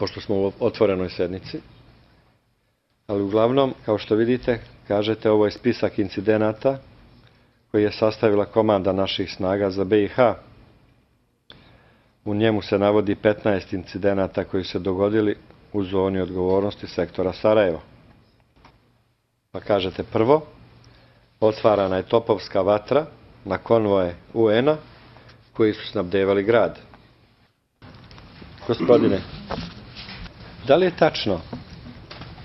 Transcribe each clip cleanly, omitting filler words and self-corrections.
pošto smo u otvorenoj sednici. Ali uglavnom, kao što vidite, kažete, ovo je spisak incidenata koji je sastavila komanda naših snaga za BiH. U njemu se navodi 15 incidenata koji se dogodili u zoni odgovornosti sektora Sarajevo. Pa kažete, prvo, otvarana je topovska vatra na konvoje UN-a koji su snabdevali grad. Gospodine, da li je tačno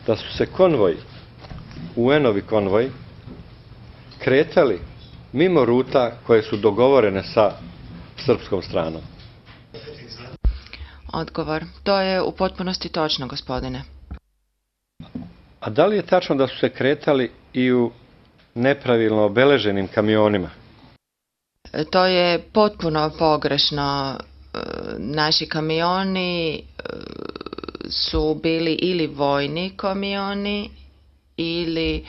da su se konvoji, UN-ovi konvoji, kretali mimo ruta koje su dogovorene sa srpskom stranom? Odgovor. To je u potpunosti točno, gospodine. A da li je tačno da su se kretali i u nepravilno obeleženim kamionima? To je potpuno pogrešno. Naši kamioni su bili ili vojni kamioni ili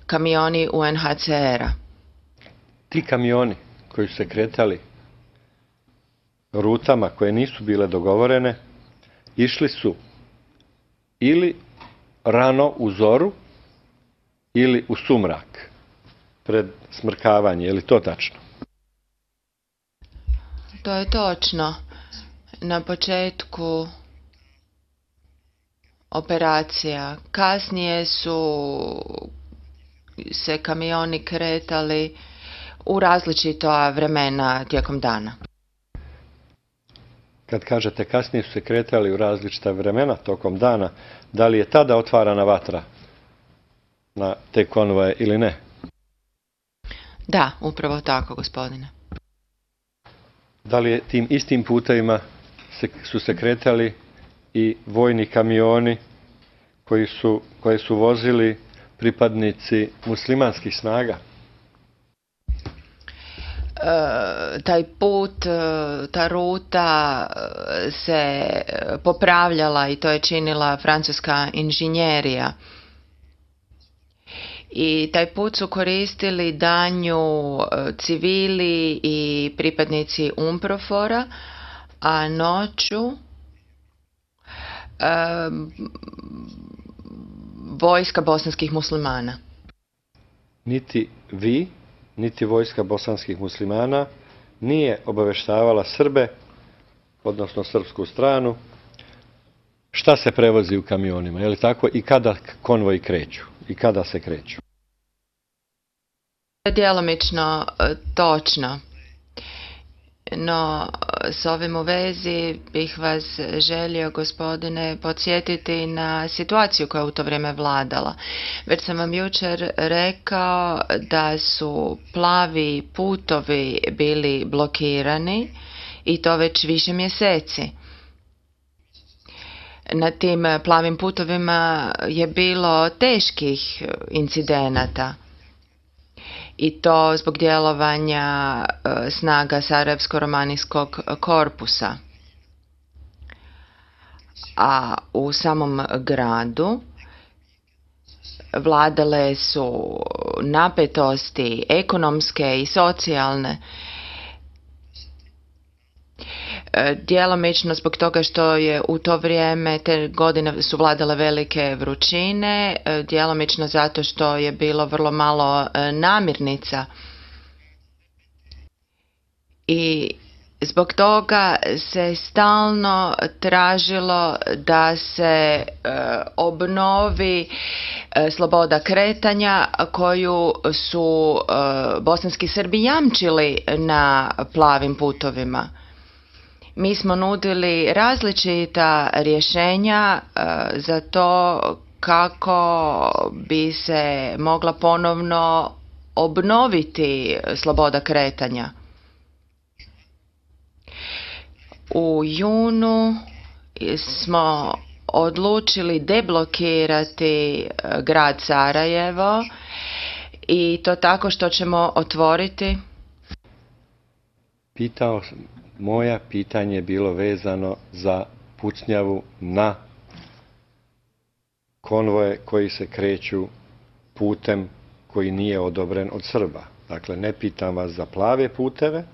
kamioni UNHCR-a. Ti kamioni koji su se kretali rutama koje nisu bile dogovorene, išli su ili rano u zoru ili u sumrak pred smrkavanje. Je li to tačno? To je točno. Na početku operacija. Kasnije su se kamioni kretali u različita vremena tijekom dana. Kad kažete kasnije su se kretali u različita vremena tokom dana, da li je tada otvarana vatra na te konvoje ili ne? Da, upravo tako, gospodine. Da li je tim istim putevima su se kretali i vojni kamioni koje su vozili pripadnici muslimanskih snaga? Taj put, ta ruta se popravljala i to je činila francuska inženjerija. I taj put su koristili danju civili i pripadnici UNPROFOR-a, a noću vojska bosanskih muslimana. Niti vi, niti vojska bosanskih muslimana nije obavještavala Srbe, odnosno srpsku stranu, šta se prevozi u kamionima, je li tako, i kada konvoji kreću, i kada se kreću? Djelomično točno. No, s ovim u vezi bih vas želio, gospodine, podsjetiti na situaciju koja je u to vrijeme vladala. Već sam vam jučer rekao da su plavi putovi bili blokirani i to već više mjeseci. Na tim plavim putovima je bilo teških incidenata. I to zbog djelovanja snaga Sarajevsko-romanijskog korpusa. A u samom gradu vladale su napetosti ekonomske i socijalne, djelomično zbog toga što je u to vrijeme, te godine su vladale velike vrućine, djelomično zato što je bilo vrlo malo namirnica. I zbog toga se stalno tražilo da se obnovi sloboda kretanja koju su bosanski Srbi jamčili na plavim putovima. Mi smo nudili različita rješenja za to kako bi se mogla ponovno obnoviti sloboda kretanja. U junu smo odlučili deblokirati grad Sarajevo i to tako što ćemo otvoriti. Moja pitanje je bilo vezano za pucnjavu na konvoje koji se kreću putem koji nije odobren od Srba. Dakle, ne pitam vas za plave puteve,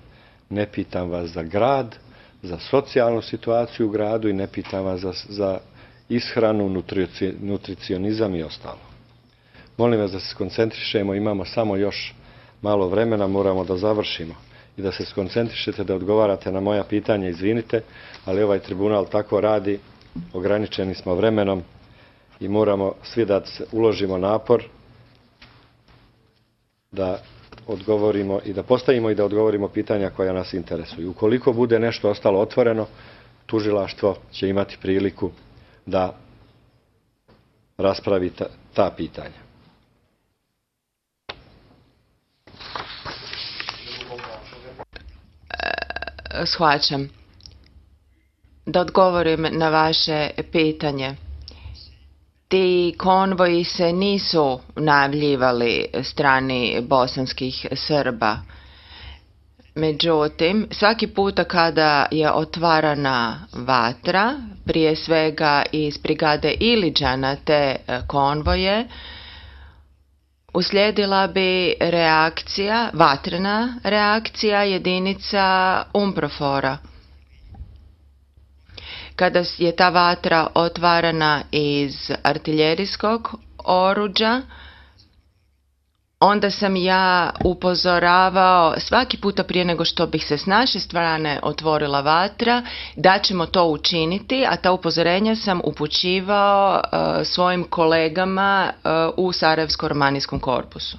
ne pitam vas za grad, za socijalnu situaciju u gradu i ne pitam vas za ishranu, nutricionizam i ostalo. Molim vas da se skoncentrišemo, imamo samo još malo vremena, moramo da završimo i da se skoncentrišete, da odgovarate na moja pitanja, izvinite, ali ovaj tribunal tako radi, ograničeni smo vremenom i moramo svi da uložimo napor da odgovorimo i da postavimo i da odgovorimo pitanja koja nas interesuju. Ukoliko bude nešto ostalo otvoreno, tužilaštvo će imati priliku da raspravi ta pitanja. Shvaćam. Da odgovorim na vaše pitanje. Ti konvoji se nisu najavljivali strani bosanskih Srba. Međutim, svaki puta kada je otvarana vatra, prije svega iz brigade Iliđa na te konvoje, uslijedila bi reakcija, vatrena reakcija jedinica UNPROFOR-a. Kada je ta vatra otvarana iz artiljerijskog oruđa, onda sam ja upozoravao svaki puta prije nego što bih se s naše strane otvorila vatra da ćemo to učiniti, a ta upozorenja sam upućivao svojim kolegama u Sarajevsko-romanijskom korpusu.